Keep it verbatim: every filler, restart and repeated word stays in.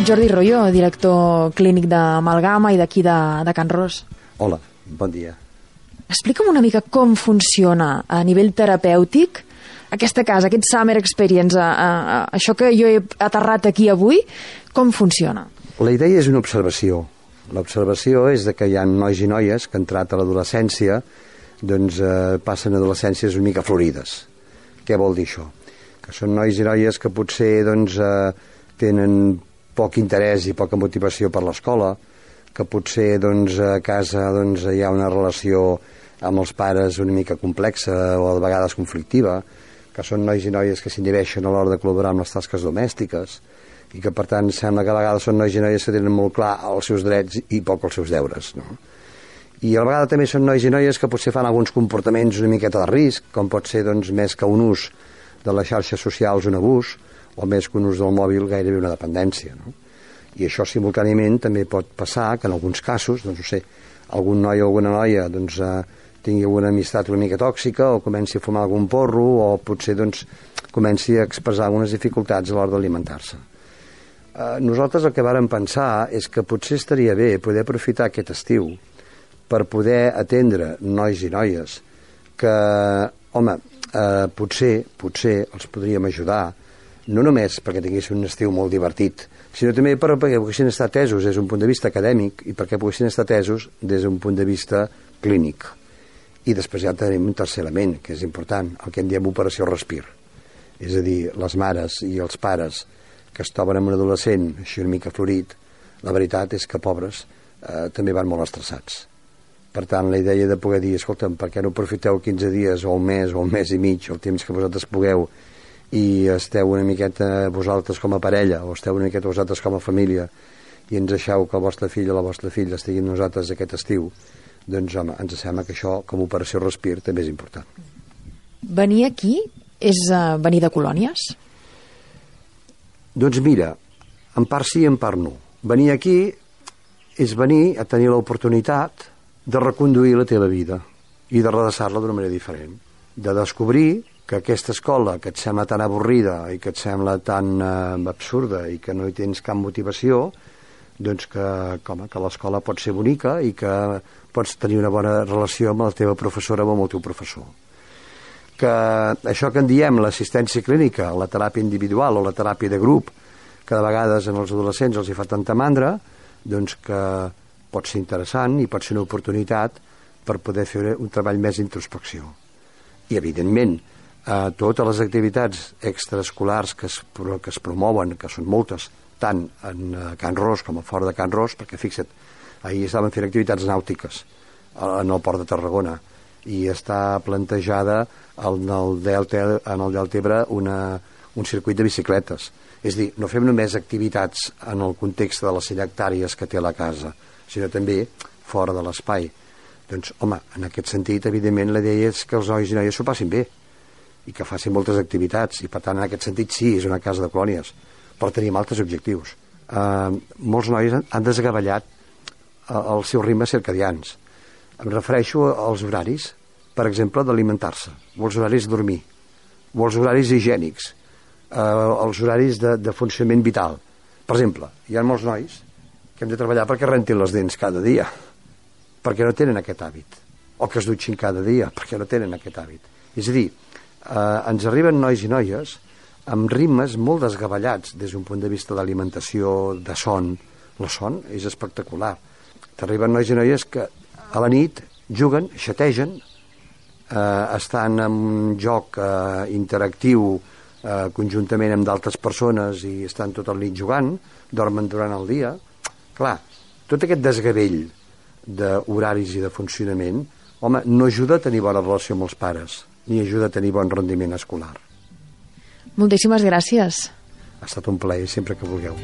Jordi Royo, director clínic d'Amalgama i d'aquí de, de Can Ros. Hola, bon dia. Explica'm una mica com funciona a nivell terapèutic aquesta casa, aquest Summer Experience, a, a, a, això que jo he aterrat aquí avui, com funciona? La idea és una observació. L'observació és de que hi ha nois i noies que han entrat a l'adolescència, doncs eh, passen adolescències una mica florides. Què vol dir això? Que són nois i noies que potser doncs, eh, tenen poc interès i poca motivació per l'escola, que potser doncs, a casa doncs, hi ha una relació amb els pares una mica complexa o de vegades conflictiva, que són nois i noies que s'inhibeixen a l'hora de col·laborar amb les tasques domèstiques i que per tant sembla que a vegades són nois i noies que tenen molt clar els seus drets i poc els seus deures, no? I a la vegada també són nois i noies que potser fan alguns comportaments una miqueta de risc, com pot ser doncs, més que un ús de les xarxes socials un abús, o més que un ús del mòbil gairebé una dependència, no? I això simultàniament també pot passar que en alguns casos, doncs no sé, algun noi o alguna noia doncs, eh, tingui alguna amistat una mica tòxica o comenci a fumar algun porro o potser doncs, comenci a expressar algunes dificultats a l'hora d'alimentar-se. Eh, nosaltres el que vàrem pensar és que potser estaria bé poder aprofitar aquest estiu per poder atendre nois i noies que, home, eh, potser, potser els podríem ajudar, no només perquè tinguessin un estiu molt divertit, sinó també perquè poguessin estar atesos des d'un punt de vista acadèmic i perquè poguessin estar atesos des d'un punt de vista clínic. I després ja tenim un tercer element, que és important, el que en diem operació respir. És a dir, les mares i els pares que es troben amb un adolescent així una mica florit, la veritat és que, pobres, eh, també van molt estressats. Per tant, la idea de poder dir, escolta'm, per què no aprofiteu quinze dies o un mes o un mes i mig, el temps que vosaltres pugueu, i esteu una miqueta vosaltres com a parella o esteu una miqueta vosaltres com a família i ens deixeu que el vostre fill o la vostra filla estigui amb nosaltres aquest estiu, doncs home, ens sembla que això com a operació respir també és important. Venir aquí és uh, venir de colònies? Doncs mira, en part sí, en part no. Venir aquí és venir a tenir l'oportunitat de reconduir la teva vida i de redreçar-la d'una manera diferent, de descobrir que aquesta escola que et sembla tan avorrida i que et sembla tan eh, absurda i que no hi tens cap motivació, doncs que, com, que l'escola pot ser bonica i que pots tenir una bona relació amb la teva professora o amb el teu professor. Que això que en diem l'assistència clínica, la teràpia individual o la teràpia de grup, que de vegades en els adolescents els hi fa tanta mandra, doncs que pot ser interessant i pot ser una oportunitat per poder fer un treball més d'introspecció. I, evidentment, eh, totes les activitats extraescolars que es, que es promouen, que són moltes, tant en eh, Can Ros com a fora de Can Ros, perquè fixa't, ahir estaven fent activitats nàutiques en el port de Tarragona i està plantejada en el Delta, en el Delta Ebre una, un circuit de bicicletes. És a dir, no fem només activitats en el context de les cinc hectàrees que té la casa, sinó també fora de l'espai. Doncs, home, en aquest sentit, evidentment, la idea és que els nois i noies s'ho passin bé i que facin moltes activitats i, per tant, en aquest sentit, sí, és una casa de colònies, però tenim altres objectius. Eh, molts nois han, han desgavellat eh, els seus ritmes circadians. Em refereixo als horaris, per exemple, d'alimentar-se, o els horaris de dormir, o els horaris higiènics, eh, els horaris de, de funcionament vital. Per exemple, hi ha molts nois que hem de treballar perquè rentin les dents cada dia, perquè no tenen aquest hàbit, o que es dutxin cada dia, perquè no tenen aquest hàbit. És a dir, eh, ens arriben nois i noies amb ritmes molt desgavellats des d'un punt de vista d'alimentació, de son. El son és espectacular. T'arriben nois i noies que a la nit juguen, xategen, eh, estan en un joc eh, interactiu eh, conjuntament amb d'altres persones i estan tot el nit jugant, dormen durant el dia. Clar, tot aquest desgavell d'horaris i de funcionament, home, no ajuda a tenir bona relació amb els pares, ni ajuda a tenir bon rendiment escolar. Moltíssimes gràcies. Ha estat un plaer, sempre que vulgueu.